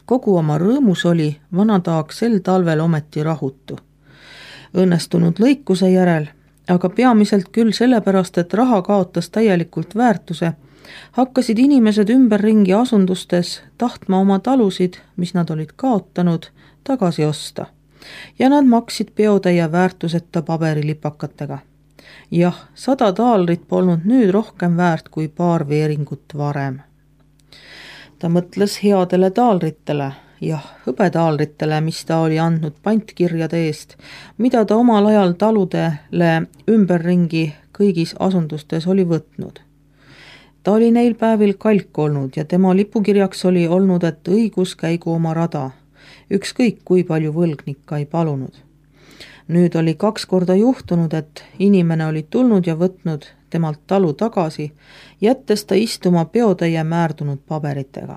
Kogu oma rõõmus oli vana Taag sel talvel ometi rahutu. Õnnestunud lõikuse järel, aga peamiselt küll sellepärast, et raha kaotas täielikult väärtuse, hakkasid inimesed ümberringi asundustes tahtma oma talusid, mis nad olid kaotanud, tagasi osta. Ja nad maksid peotäie väärtuseta paberilipakatega. Jah, 100 taalarit polnud nüüd rohkem väärt kui paar veeringut varem. Ta mõtles headele taalritele, hõbetaalritele, mis ta oli andnud pantkirjade eest, mida ta omal ajal taludele ümberringi kõigis asundustes oli võtnud. Ta oli neil päevil kalk olnud ja tema lipukirjaks oli olnud, et õigus käigu oma rada, ükskõik kui palju võlgnikka ei palunud. Nüüd oli 2 korda juhtunud, et inimene oli tulnud ja võtnud temalt talu tagasi, jättes ta istuma peotäie määrdunud paberitega.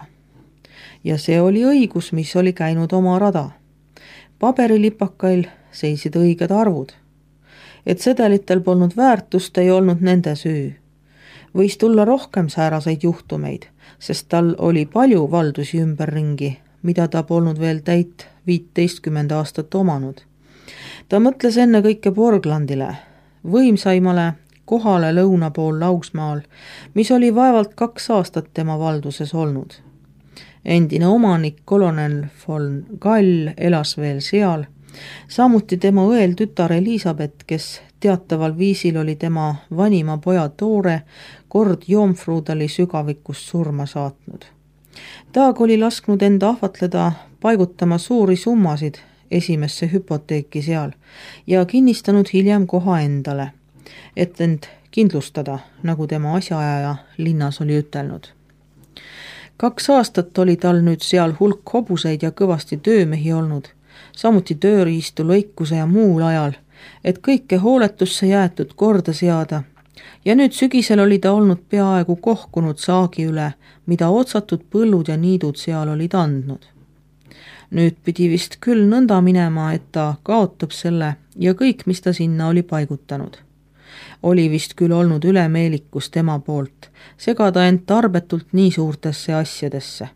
Ja see oli õigus, mis oli käinud oma rada. Paberilipakail seisid õiged arvud. Et sedelitel polnud väärtust, ei olnud nende süü. Võis tulla rohkem sääraseid juhtumeid, sest tal oli palju valdusi ümberringi, mida ta polnud veel täit 15 aastat omanud. Ta mõtles enne kõike Borglandile, võimsaimale kohale lõuna pool Laugsmaal, mis oli vaevalt 2 aastat tema valduses olnud. Endine omanik kolonel von Gall elas veel seal, samuti tema õel tütar Elisabeth, kes teataval viisil oli tema vanima poja Toore kord Joomfruudali sügavikust surma saatnud. Taag oli lasknud enda ahvatleda paigutama suuri summasid esimesse hüpoteeki seal ja kinnistanud hiljem koha endale, et end kindlustada, nagu tema asjaajaja linnas oli ütelnud. 2 aastat oli tal nüüd seal hulk hobuseid ja kõvasti töömehi olnud, samuti tööriistu, lõikuse ja muul ajal, et kõike hooletusse jäetud korda seada. Ja nüüd sügisel oli ta olnud peaaegu kohkunud saagi üle, mida otsatud põllud ja niidud seal olid andnud. Nüüd pidi vist küll nõnda minema, et ta kaotab selle ja kõik, mis ta sinna oli paigutanud. Oli vist küll olnud ülemeelikus tema poolt, segada end tarbetult nii suurtesse asjadesse.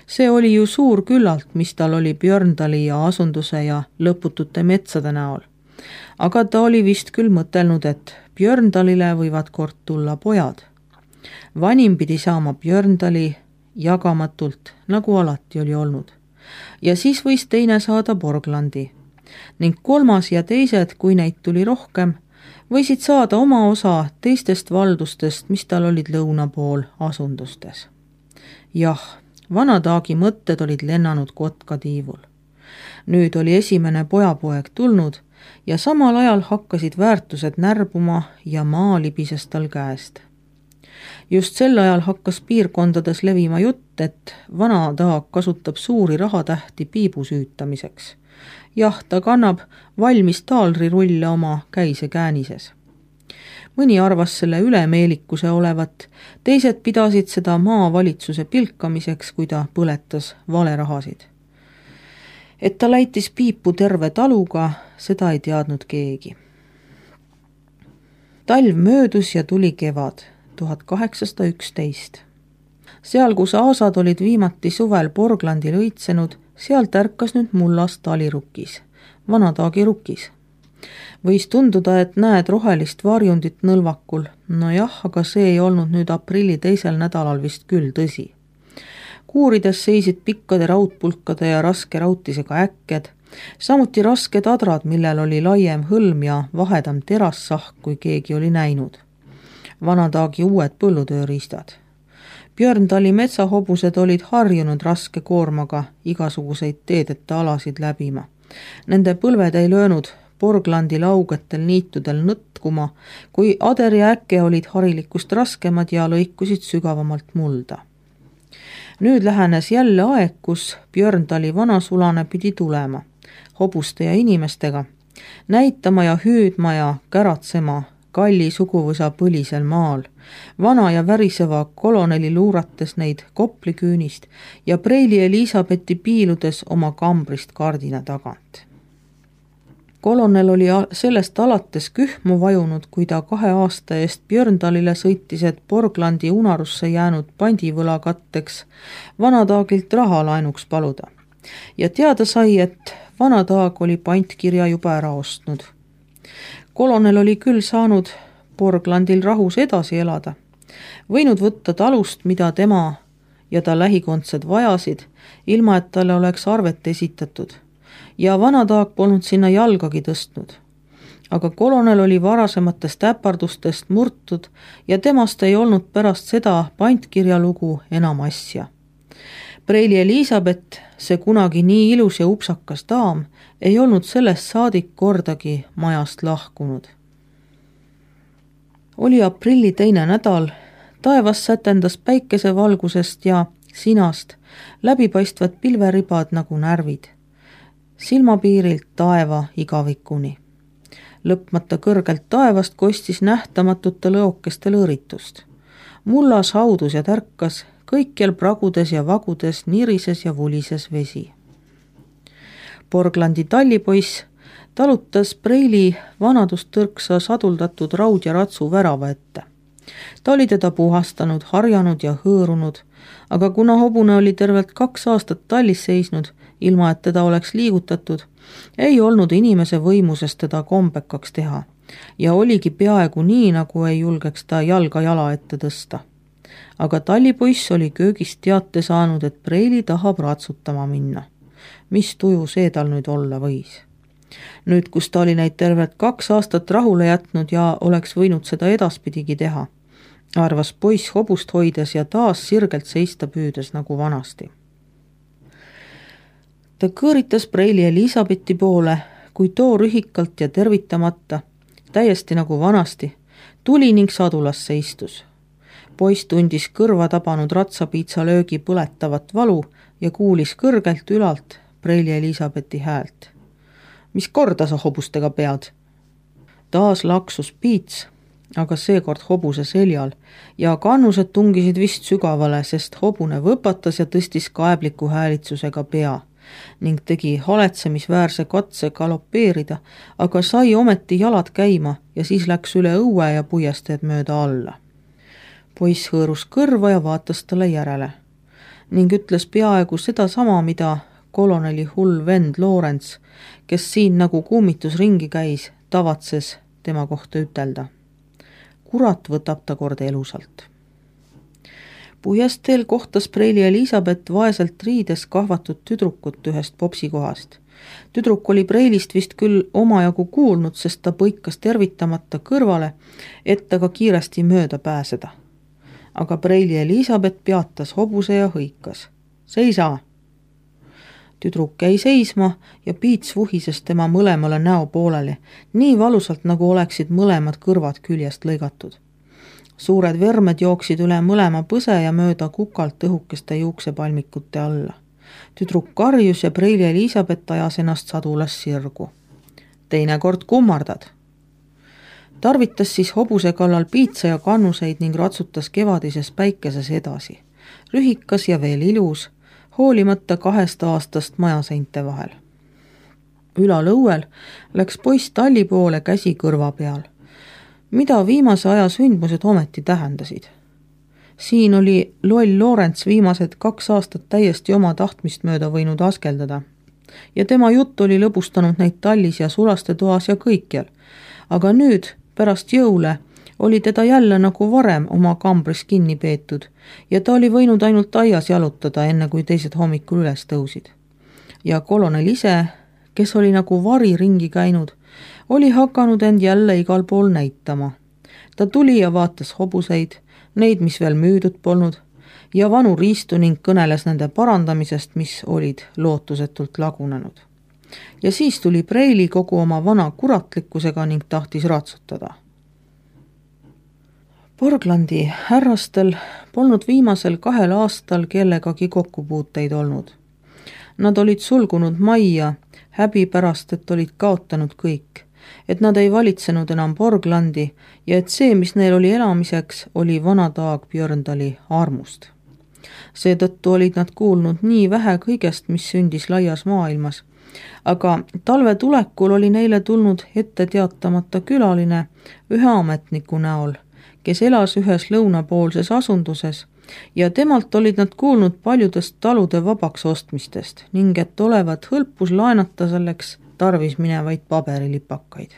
See oli ju suur küllalt, mis tal oli Björndali ja asunduse ja lõputute metsade näol. Aga ta oli vist küll mõtelnud, et Björndalile võivad kord tulla pojad. Vanim pidi saama Björndali jagamatult, nagu alati oli olnud. Ja siis võis teine saada Borglandi. Ning 3. ja teised, kui neid tuli rohkem, võisid saada oma osa teistest valdustest, mis tal olid lõuna pool asundustes. Jah, vana Taagi mõtted olid lennanud kotkatiivul. Nüüd oli esimene pojapoeg tulnud ja samal ajal hakkasid väärtused närbuma ja maa libises tal käest. Just sel ajal hakkas piirkondades levima jutt, et vana Taag kasutab suuri rahatähti piibu süütamiseks. Jah, ta kannab valmis taalrirulle oma käise käänises. Mõni arvas selle ülemeelikuse olevat, teised pidasid seda maavalitsuse pilkamiseks, kui ta põletas valerahasid. Et ta läitis piipu terve taluga, seda ei teadnud keegi. Talv möödus ja tuli kevad, 1811. Seal, kus aasad olid viimati suvel Borglandil õitsenud, sealt ärkas nüüd mullas talirukis, vana Taagi rukis. Võis tunduda, et näed rohelist varjundit nõlvakul, no jah, aga see ei olnud nüüd aprilli 2. nädalal vist küll tõsi. Kuurides seisid pikkade raudpulkade ja raske rautisega äkked, samuti rasked adrad, millel oli laiem hõlm ja vahedam terassahk, kui keegi oli näinud. Vana Taagi uued põllutööriistad. Björndali metsahobused olid harjunud raske koormaga igasuguseid teedeta alasid läbima. Nende põlved ei löönud Borglandi laugetel niitudel nõtkuma, kui ader ja äkke olid harilikust raskemad ja lõikusid sügavamalt mulda. Nüüd lähenes jälle aeg, kus Björndali vanasulane pidi tulema, hobuste ja inimestega, näitama ja hüüdma ja käratsema Kalli suguvõsa põlisel maal, vana ja väriseva koloneli luurates neid kopliküünist ja preili Elisabethi piiludes oma kambrist kardina tagant. kolonel oli sellest alates kühmu vajunud, kui ta 2 aasta eest Björndalile sõitis, et Borglandi unarusse jäänud pandivõla katteks Vanataagilt raha laenuks paluda. Ja teada sai, et Vanataag oli pantkirja juba ära ostnud. Kolonel oli küll saanud Borglandil rahus edasi elada, võinud võtta talust, mida tema ja ta lähikondsed vajasid, ilma et talle oleks arvet esitatud. Ja Vanataag polnud sinna jalgagi tõstnud. Aga kolonel oli varasematest äpardustest murtud ja temast ei olnud pärast seda pantkirja lugu enam asja. Preili Elisabeth, see kunagi nii ilus ja upsakas daam, ei olnud sellest saadik kordagi majast lahkunud. Oli aprilli 2. nädal, taevas sätendas päikesevalgusest ja sinast läbipaistvad pilveribad nagu närvid. Silmapiirilt taeva igavikuni. Lõpmata kõrgelt taevast kostis nähtamatute lõokeste lõõritust. Mullas haudus ja tärkas, kõikjal pragudes ja vagudes nirises ja vulises vesi. Borglandi tallipoiss talutas Preili vanadustõrksa saduldatud raud- ja ratsu värava ette. Ta oli teda puhastanud, harjanud ja hõõrunud, aga kuna hobune oli tervelt 2 aastat tallis seisnud, ilma et teda oleks liigutatud, ei olnud inimese võimuses teda kombekaks teha ja oligi peaaegu nii, nagu ei julgeks ta jalga jala ette tõsta. Aga tallipoiss oli köögist teate saanud, et Preili tahab ratsutama minna. Mis tuju see tal nüüd olla võis? Nüüd, kus ta oli neid tervelt 2 aastat rahule jätnud ja oleks võinud seda edaspidigi teha, arvas poiss hobust hoides ja taas sirgelt seista püüdes nagu vanasti. Ta kõõritas Preili Elisabethi poole, kui too rühikalt ja tervitamata, täiesti nagu vanasti, tuli ning sadulasse istus. Poiss tundis kõrva tabanud ratsapiitsa löögi põletavat valu ja kuulis kõrgelt ülalt Preili Elisabethi häält. Mis korda sa hobustega pead? Taas laksus piits, aga seekord hobuse seljal ja kannused tungisid vist sügavale, sest hobune võpatas ja tõstis kaebliku häälitsusega pea ning tegi haletsemisväärse katse galopeerida, aga sai ometi jalad käima ja siis läks üle õue ja puiesteed mööda alla. Poiss hõõrus kõrva ja vaatas talle järele ning ütles peaaegu seda sama, mida koloneli hull vend Lawrence, kes siin nagu kummitus ringi käis, tavatses tema kohta ütelda. Kurat võtab ta kord elusalt. Puiesteel kohtas Preili Elisabeth vaeselt riides kahvatud tüdrukut ühest popsikohast. Tüdruk oli Preilist vist küll omajagu kuulnud, sest ta põikas tervitamata kõrvale, et ta ka kiiresti mööda pääseda. Aga Preili Elisabeth peatas hobuse ja hõikas. Seisa! Tüdruk jäi seisma ja piits vuhises tema mõlemale näo pooleli, nii valusalt, nagu oleksid mõlemad kõrvad küljest lõigatud. Suured vermed jooksid üle mõlema põse ja mööda kukalt õhukeste juuksepalmikute alla. Tüdruk karjus ja Preili Elisabeth ajas ennast sadulas sirgu. Teinekord kummardad. Tarvitas siis hobuse kallal piitsa ja kannuseid ning ratsutas kevadises päikeses edasi. Rühikas ja veel ilus, hoolimata 2 aastast majaseinte vahel. Ülal õuel läks poiss talli poole käsi kõrva peal. Mida viimase aja sündmused ometi tähendasid? Siin oli loll Lawrence viimased 2 aastat täiesti oma tahtmist mööda võinud askeldada. Ja tema jutt oli lõbustanud neid tallis ja sulastetoas ja kõikjal. Aga nüüd, pärast jõule, oli teda jälle nagu varem oma kambris kinni peetud ja ta oli võinud ainult aias jalutada, enne kui teised hommikul üles tõusid. Ja kolonel ise, kes oli nagu vari ringi käinud, oli hakanud end jälle igal pool näitama. Ta tuli ja vaatas hobuseid, neid, mis veel müüdud polnud, ja vanu riistu ning kõneles nende parandamisest, mis olid lootusetult lagunenud. Ja siis tuli Preili kogu oma vana kuratlikkusega ning tahtis ratsutada. Borglandi härrastel polnud viimasel 2 aastal kellegagi kokkupuuteid olnud. Nad olid sulgunud majja, häbi pärast, et olid kaotanud kõik, et nad ei valitsenud enam Borglandi ja et see, mis neil oli elamiseks, oli Vanataag Björndali armust. Seetõttu olid nad kuulnud nii vähe kõigest, mis sündis laias maailmas aga talve tulekul oli neile tulnud ette teatamata külaline ühe ametniku näol, kes elas ühes lõunapoolses asunduses ja temalt olid nad kuulnud paljudest talude vabaks ostmistest ning et olevat hõlpus laenata selleks tarvis minevaid paberilipakaid.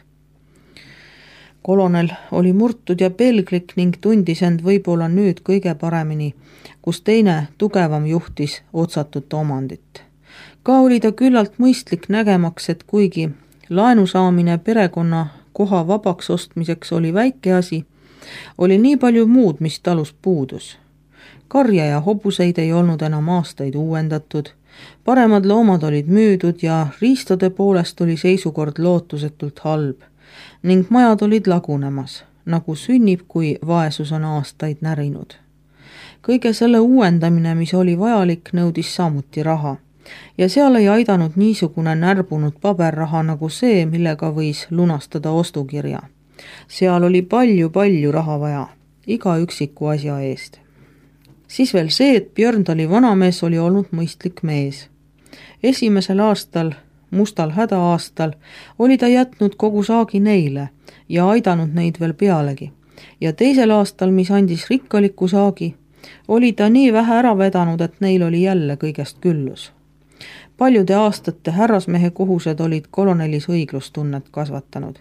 Kolonel oli murtud ja pelglik ning tundis end võib-olla nüüd kõige paremini, kus teine tugevam juhtis otsatut omandit. Ka oli ta küllalt mõistlik nägemaks, et kuigi laenu saamine perekonna koha vabaks ostmiseks oli väike asi, oli nii palju muud, mis talus puudus. Karja ja hobuseid ei olnud enam aastaid uuendatud, paremad loomad olid müüdud ja riistade poolest oli seisukord lootusetult halb ning majad olid lagunemas, nagu sünnib, kui vaesus on aastaid närinud. Kõige selle uuendamine, mis oli vajalik, nõudis samuti raha ja seal ei aidanud niisugune närbunud paberraha nagu see, millega võis lunastada ostukirja. Seal oli palju raha vaja, iga üksiku asja eest. Siis veel see, et Björndali vanamees oli olnud mõistlik mees. Esimesel aastal, mustal hädaaastal, oli ta jätnud kogu saagi neile ja aidanud neid veel pealegi. Ja teisel aastal, mis andis rikkaliku saagi, oli ta nii vähe ära vedanud, et neil oli jälle kõigest küllus. Paljude aastate härrasmehe kohused olid kolonelis õiglustunnet kasvatanud.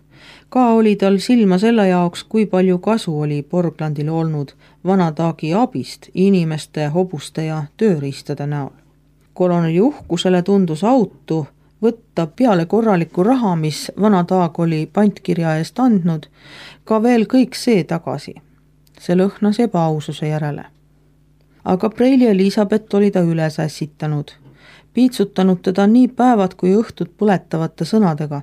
Ka oli tal silma selle jaoks, kui palju kasu oli Borglandil olnud vana taagi abist inimeste, hobuste ja tööriistade näol. Koloneli uhkusele tundus autu võtta peale korraliku raha, mis vana taag oli pantkirja eest andnud, ka veel kõik see tagasi. See lõhnas ebaaususe järele. Aga Preili Elisabeth oli ta üles ässitanud, piitsutanud teda nii päevad kui õhtud põletavate sõnadega,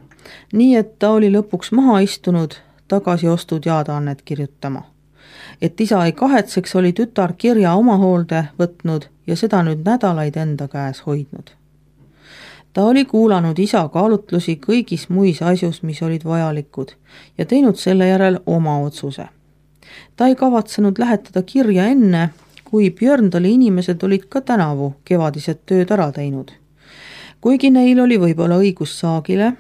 nii et ta oli lõpuks maha istunud tagasiostud jaadaannet kirjutama. Et isa ei kahetseks, oli tütar kirja oma hoolde võtnud ja seda nüüd nädalaid enda käes hoidnud. Ta oli kuulanud isa kaalutlusi kõigis muis asjus, mis olid vajalikud ja teinud selle järel oma otsuse. Ta ei kavatsenud lähetada kirja enne, kui Björndali inimesed olid ka tänavu kevadised tööd ära teinud. Kuigi neil oli võib-olla õigus saagile,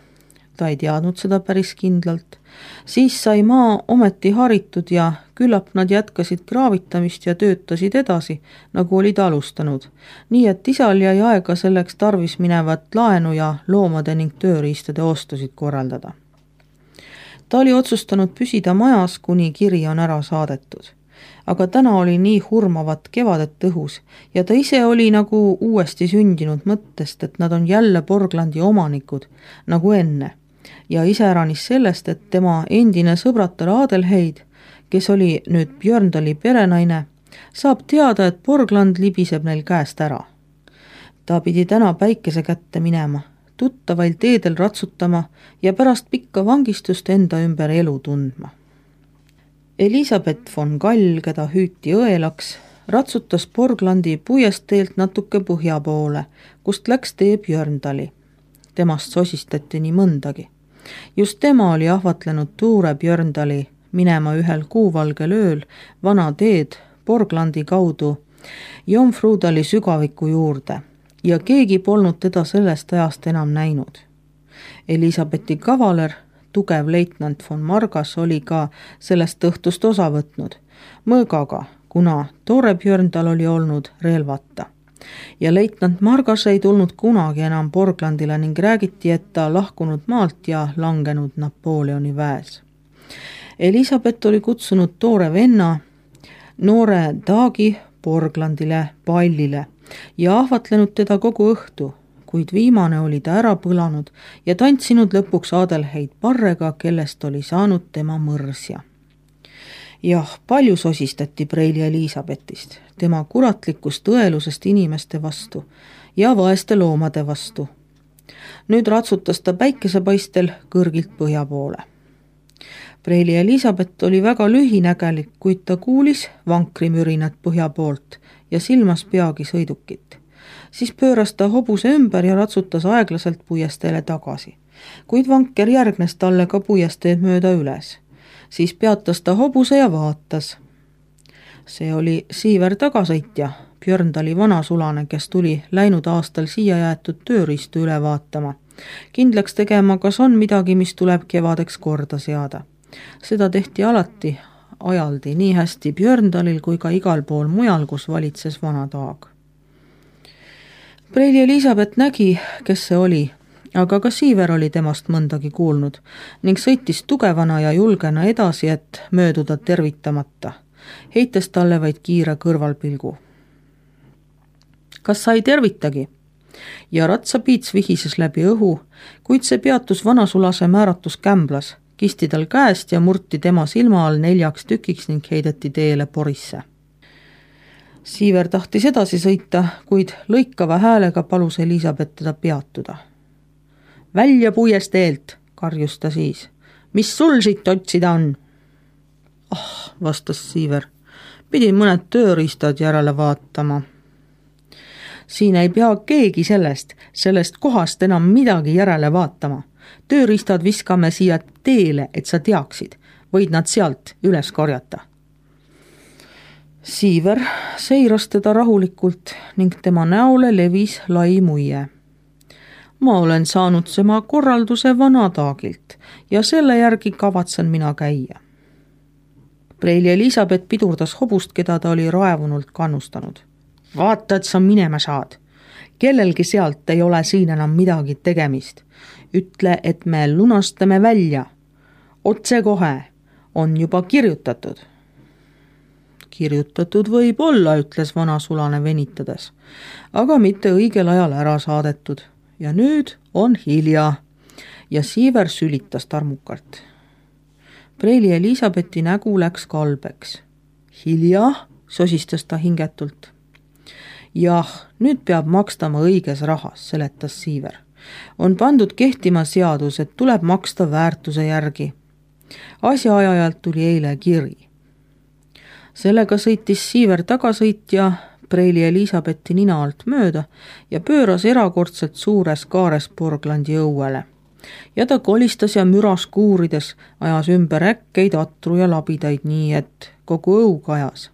ta ei teadnud seda päris kindlalt, siis sai maa ometi haritud ja küllap nad jätkasid kraavitamist ja töötasid edasi, nagu olid alustanud, nii et isal jäi aega selleks tarvis minevat laenu ja loomade ning tööriistade ostusid korraldada. Ta oli otsustanud püsida majas, kuni kiri on ära saadetud. Aga täna oli nii hurmavat kevadet õhus ja ta ise oli nagu uuesti sündinud mõttest, et nad on jälle Borglandi omanikud, nagu enne. Ja iseäranis sellest, et tema endine sõbratar Adelheid, kes oli nüüd Björndali perenaine, saab teada, et Borgland libiseb neil käest ära. Ta pidi täna päikese kätte minema, tuttavail teedel ratsutama ja pärast pikka vangistust enda ümber elu tundma. Elisabeth von Gall, keda hüüti õelaks, ratsutas Borglandi puiesteelt natuke põhja poole, kust läks tee Björndali. Temast sosistati nii mõndagi. Just tema oli ahvatlenud Tuure Björndali minema ühel kuuvalgel ööl vana teed Borglandi kaudu Jomfrudali sügaviku juurde ja keegi polnud teda sellest ajast enam näinud. Elisabethi kavaler, tugev leitnant von Margas oli ka sellest õhtust osa võtnud, mõõgaga, kuna Tore Björndal oli olnud relvata. Ja leitnant Margas ei tulnud kunagi enam Borglandile ning räägiti, et ta lahkunud maalt ja langenud Napoleoni väes. Elisabeth oli kutsunud Tore venna, noore taagi Borglandile pallile ja ahvatlenud teda kogu õhtu, kuid viimane oli ta ära põlanud ja tantsinud lõpuks Adelheid Parrega, kellest oli saanud tema mõrsja. Jah, palju sosistati Preili Elisabethist, tema kuratlikust õelusest inimeste vastu ja vaeste loomade vastu. Nüüd ratsutas ta päikesepaistel kõrgilt põhja poole. Preili Elisabeth oli väga lühinägelik, kuid ta kuulis vankrimürinat põhja poolt ja silmas peagi sõidukit. Siis pööras ta hobuse ümber ja ratsutas aeglaselt puiesteele tagasi. Kuid vanker järgnes talle ka puiesteed mööda üles. Siis peatas ta hobuse ja vaatas. See oli Siiver tagasõitja, Björndali vanasulane, kes tuli läinud aastal siia jäetud tööriistu üle vaatama kindlaks tegema, kas on midagi, mis tuleb kevadeks korda seada. Seda tehti alati ajaldi nii hästi Björndalil kui ka igal pool mujal, kus valitses vana taag. Preili Elisabeth nägi, kes see oli, aga ka Siiver oli temast mõndagi kuulnud ning sõitis tugevana ja julgena edasi, et mööduda tervitamata, heites talle vaid kiire kõrvalpilgu. Kas sa ei tervitagi? Ja ratsapiits vihises läbi õhu, kuid see peatus vanasulase määratus kämblas, kisti tal käest ja murti tema silma all 4 tükiks ning heideti teele porisse. Siiver tahtis edasi sõita, kuid lõikava häälega palus Elisabeth teda peatuda. Välja puiest eelt, karjus ta siis. Mis sul siit otsida on? Vastas Siiver. Pidin mõned tööriistad järele vaatama. Siin ei pea keegi sellest kohast enam midagi järele vaatama. Tööriistad viskame siia teele, et sa teaksid. Võid nad sealt üles korjata. Siiver seiras teda rahulikult ning tema näole levis lai muie. Ma olen saanud tema korralduse vanataagilt ja selle järgi kavatsen mina käia. Preili Elisabeth pidurdas hobust, keda ta oli raevunult kannustanud. Vaata, et sa minema saad. Kellelgi sealt ei ole siin enam midagi tegemist. Ütle, et me lunastame välja. Otse kohe. On juba kirjutatud. Kirjutatud võib olla, ütles vanasulane venitades, aga mitte õigel ajal ära saadetud. Ja nüüd on hilja. Ja Siiver sülitas tarmukalt. Preili Elisabethi nägu läks kalbeks. Hilja, sosistas ta hingetult. Jah, nüüd peab makstama õiges rahas, seletas Siiver. On pandud kehtima seadus, et tuleb maksta väärtuse järgi. Asjaajajalt tuli eile kiri. Sellega sõitis Siiver tagasõitja Preili Elisabethi nina alt mööda ja pööras erakordselt suures kaares Borglandi õuele. Ja ta kolistas ja müras kuurides, ajas ümber äkkeid, atru ja labidaid nii, et kogu õu kajas.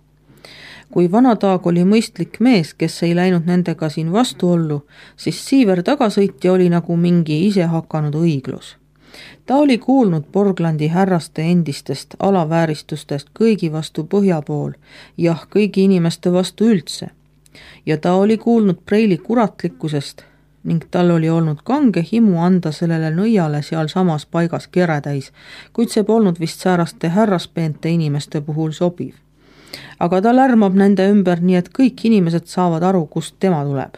Kui vanataag oli mõistlik mees, kes ei läinud nendega siin vastuollu, siis Siiver tagasõitja oli nagu mingi ise hakanud õiglus. Ta oli kuulnud Borglandi härraste endistest alavääristustest kõigi vastu põhja pool, jah, kõigi inimeste vastu üldse. Ja ta oli kuulnud Preili kuratlikkusest ning tal oli olnud kange himu anda sellele nõiale seal samas paigas keretäis, kuid see polnud vist sääraste härraspeente inimeste puhul sobiv. Aga ta lärmab nende ümber nii, et kõik inimesed saavad aru, kust tema tuleb.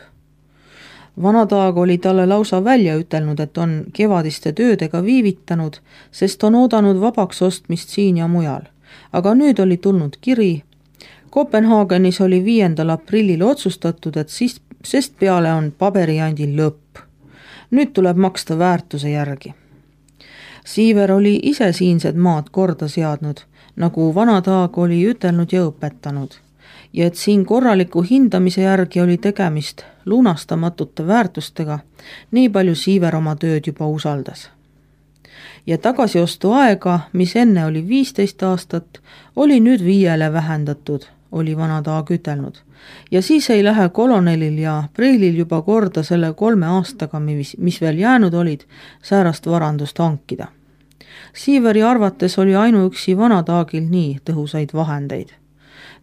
Vanataag oli talle lausa välja ütelnud, et on kevadiste töödega viivitanud, sest on oodanud vabaks ostmist siin ja mujal. Aga nüüd oli tulnud kiri. Kopenhaagenis oli 5. aprillil otsustatud, et sest peale on paberijandil lõpp. Nüüd tuleb maksta väärtuse järgi. Siiver oli ise siinsed maad korda seadnud, nagu vanataag oli ütelnud ja õpetanud. Ja et siin korraliku hindamise järgi oli tegemist lunastamatute väärtustega, nii palju Siiver oma tööd juba usaldas. Ja tagasiostu aega, mis enne oli 15 aastat, oli nüüd 5 vähendatud, oli vanataag ütelnud. Ja siis ei lähe kolonelil ja Preilil juba korda selle 3 aastaga, mis veel jäänud olid, säärast varandust hankida. Siiveri arvates oli ainuüksi vanataagil nii tõhusaid vahendeid.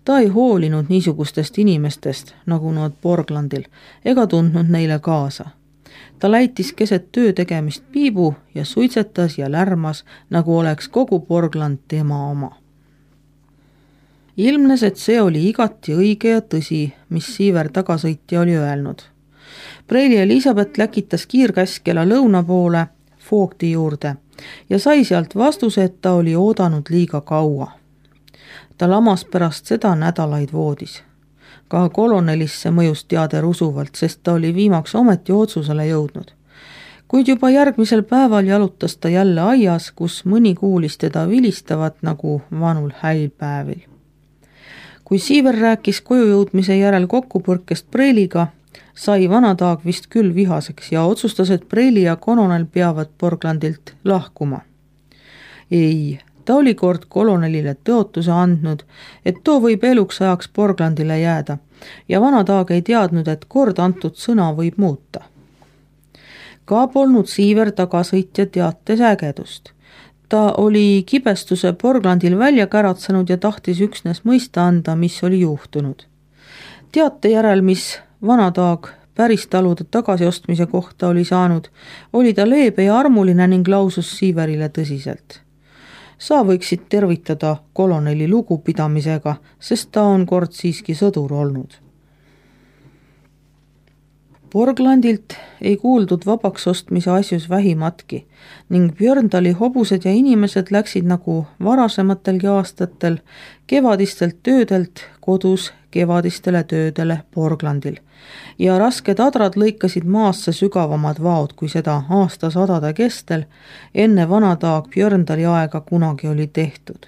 Ta ei hoolinud niisugustest inimestest, nagu nad Borglandil, ega tundnud neile kaasa. Ta läitis keset töö tegemist piibu ja suitsetas ja lärmas, nagu oleks kogu Borgland tema oma. Ilmnes, et see oli igati õige ja tõsi, mis Siiver tagasõitja oli öelnud. Preili Elisabeth läkitas kiirkäskela lõuna poole Voogdi juurde ja sai sealt vastuse, et ta oli oodanud liiga kaua. Ta lamas pärast seda nädalaid voodis. Ka kolonelisse mõjus teader usuvalt, sest ta oli viimaks ometi otsusele jõudnud. Kuid juba järgmisel päeval jalutas ta jälle aias, kus mõni kuulis teda vilistavat nagu vanul häilpäevil. Kui Siiver rääkis koju jõudmise järel kokkupõrkest Preiliga, sai vanataag vist küll vihaseks ja otsustas, et Preili ja kolonel peavad Borglandilt lahkuma. Ei, ta oli kord kolonelile tõotuse andnud, et too võib eluks ajaks Borglandile jääda ja vanataag ei teadnud, et kord antud sõna võib muuta. Ka polnud Siiver tagasõitja teates ägedust. Ta oli kibestuse Porglandil välja käratsenud ja tahtis üksnes mõista anda, mis oli juhtunud. Teate järel, mis Vanataag päristalude tagasiostmise kohta oli saanud, oli ta leebe ja armuline ning lausus Siiverile tõsiselt. Sa võiksid tervitada koloneli lugupidamisega, sest ta on kord siiski sõdur olnud. Porglandilt ei kuuldud vabaks ostmise asjus vähimatki ning Björndali hobused ja inimesed läksid nagu varasematelgi aastatel kevadistelt töödelt kodus kevadistele töödele Porglandil ja rasked adrad lõikasid maasse sügavamad vaod, kui seda aastasadade kestel enne Vanataag Björndali aega kunagi oli tehtud.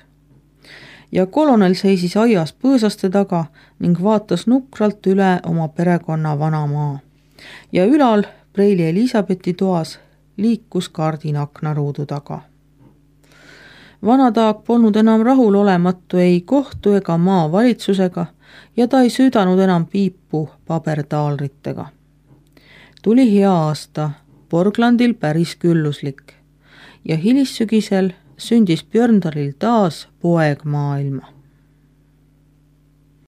Ja kolonel seisis aias põõsaste taga ning vaatas nukralt üle oma perekonna vanamaa. Ja ülal Preili Elisabethi toas liikus kardin aknaruudu taga. Vanataag polnud enam rahulolematu ei kohtu ega maavalitsusega ja ta ei süüdanud enam piipu pabertaalritega. Tuli hea aasta, Porglandil päris külluslik ja hilissügisel sündis Björndalil taas poeg maailma.